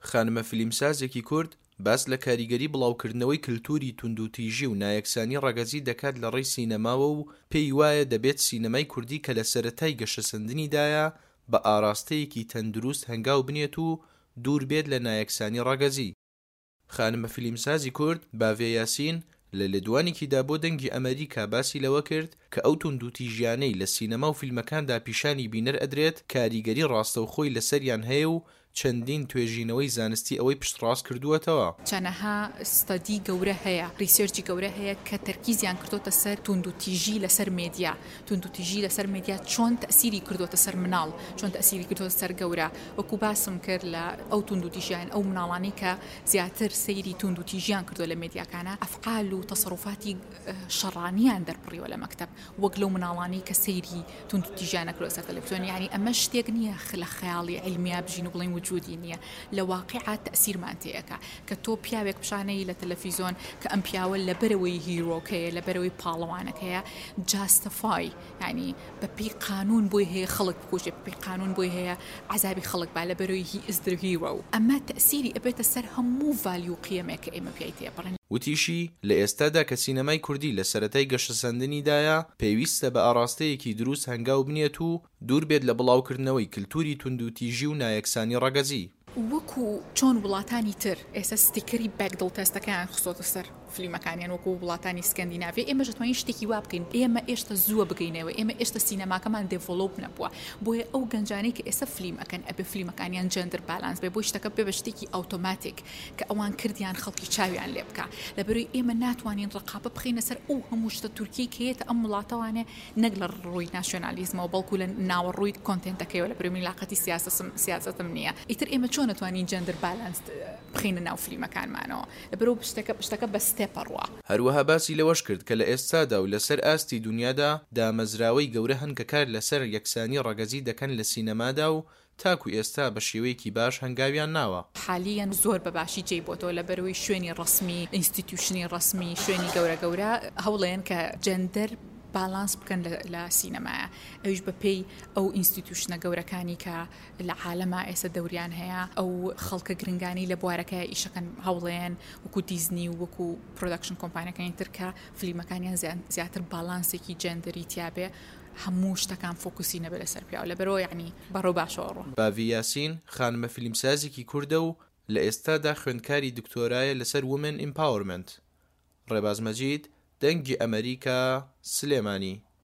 خانمە فیلمسازێکی کورد باس لە کاریگەری بڵاوکردنەوەی کلتوری توندوتیژی و نایەکسانی ڕەگەزی دەکات لە ڕێی سینەماوە و پێی وایە دەبێت سینەمای کوردی کە لە سەرەتای گەشەسەندنیدایە بە ئاراستەیەکی تەندروست هەنگاو بنێت و دوور بێت لە نایەکسانی ڕەگەزی. خانمە فیلمسازی کورد، باڤێ یاسین، لە لێدوانێکیدا بۆ دەنگی ئەمەریکا باسی لەوە کرد کە ئەو توندوتیژیانەی لە سینەما و فیلمەکاندا پیشانی بینەر ئەدرێت کاریگەری ڕاستەوخۆی لەسەریان هەیە و چەندین توێژینەوەی زانستی ئەوەی پشتڕاست کردووەتەوە. چەنەها study گەورە هەیە، research ی گەورە هەیە کە تەرکیزیان کردۆتە سەر توندوتیژی لەسەر مێدیا، توندوتیژی لەسەر مێدیا چۆن تەئسیری کردۆتە سەر مناڵ، چۆن تەئسیری کردۆتە سەر گەورە، وەکو باسم کرد لە ئەو توندوتیژیان ئەو مناڵانەی کە زیاتر سەیری توندوتیژیان کردوە لە مێدیاکانا ئەفعال و تەسەروفاتی شەڕانیان دەربڕیوە لە مەکتەب وەک لەو مناڵانەی کە سەیری توندوتیژیان نەکردوە سەر تەلەفزیۆن یانی ئەمە شتێک نییە لە خەیاڵی عیلمیا بژین و بڵێین وجودی نییە لە واقیعا تەئسیرمان تێئەکا کە تۆ پیاوێک پیشانەی لە تەلەفیزۆن کە ئەم پیاوە لەبەرەوەی هیرۆکەیە لەبەرەوەی پاڵەوانەکەیە جاستەفای یانی بە پێی قانون بۆی هەیە خەڵک بکوژێ بە پێی قانون بۆی هەیە عەزابی خەڵک با لەبەرەوەی he is the hero ئەمە تەئسیری ئەبێتە سەر هەموو value و قیەمێک کە ئێمە پیای تێپەڕین. وتیشی، لە ئێستادا کە سینەمای کوردی لە سەرەتای گەشەسەندنیدایە، پێویستە بە ئاڕاستەیەکی دروست هەنگاو بنێت و دوور بێت لە بڵاوکردنەوەی کلتوری توندوتیژی و نایەکسانی ڕەگەزی. وەکو چۆن وڵاتانی تر ئێستا ستیکەری بەکدڵ تێستەکەیان خستۆتە سەر فلیمەکانیان وەکو وڵاتانی سکەندیناڤیا ئێمەش ئەتوانین شتێکی وا بکەین ئێمە ئێشتا زووە بگەینەوە ئێمە ئێشتا سینەماکەمان develop نەبووە بۆیە ئەو گەنجانەی کە ئێستا فلیم ئەکەن ئەبێ فلیمەکانیان gender balance بێ بۆی شتەکە بێ بە شتێکی ئەوتۆماتیک کە ئەوان کردیان خەڵکی چاویان لێ بکا لەبەرەوەی ئێمە ناتوانین ڕقابە بخەینە سەر ئەو هەموو شتە تورکیەی کە یەتە ئەم وڵاتەوانێ نەک لە ڕووی ناسیۆنالیزمەوە بەڵکو لە ناوەڕووی content ەکەیەوە لە بەرەی من لاقەتی سیاسەسم سیاسەتم نییە ئیتر ئێمە چۆن ئەتوانین gender balance بخەینە ناو فلیمەکانمانەوە لەبەرەوە شتەکە شتەکە بە step ئەڕوا. هەروەها باسی لەوەش کرد کە لە ئێستادا و لەسەر ئاستی دونیادا دامەزراوەی گەورە هەن کە کار لەسەر یەکسانی ڕەگەزی دەکەن لە سینەمادا و تاکو ئێستا بە شێوەیەکی باش هەنگاویان ناوە. حالیەن زۆر بە باشی جێی بۆتەوە لەبەرئەوەی شوێنی ڕەسمی، institution ی ڕەسمی، شوێنی گەورە گەورە هەوڵەیەن کە gender balance بکەن لە سینەمایە ئەویش بە پێی ئەو institution ە گەورەکانی کە لە عالەما ئێستا دەوریان هەیە ئەو خەڵکە گرنگانی لە بوارەکە ئیشەکەن هەوڵەیەن وەکو دیزنی و وەکو production کۆمپانیەکانی تر کە فلیمەکانیان زیاتر بالانسێکی جێندەری تیابێ هەموو شتەکان focus ی نەبێ لەسەر پیاو لەبەرئەوە یەعنی بەڕەو باشەوە ڕۆن. باڤی یاسین خانمە فیلمسازێکی کوردە و لە ئێستادا خوێندکاری دکتۆرایە لەسەر Women Empowerment. ڕێباز مەجید، دەنگی ئەمەریکا، سلێمانی.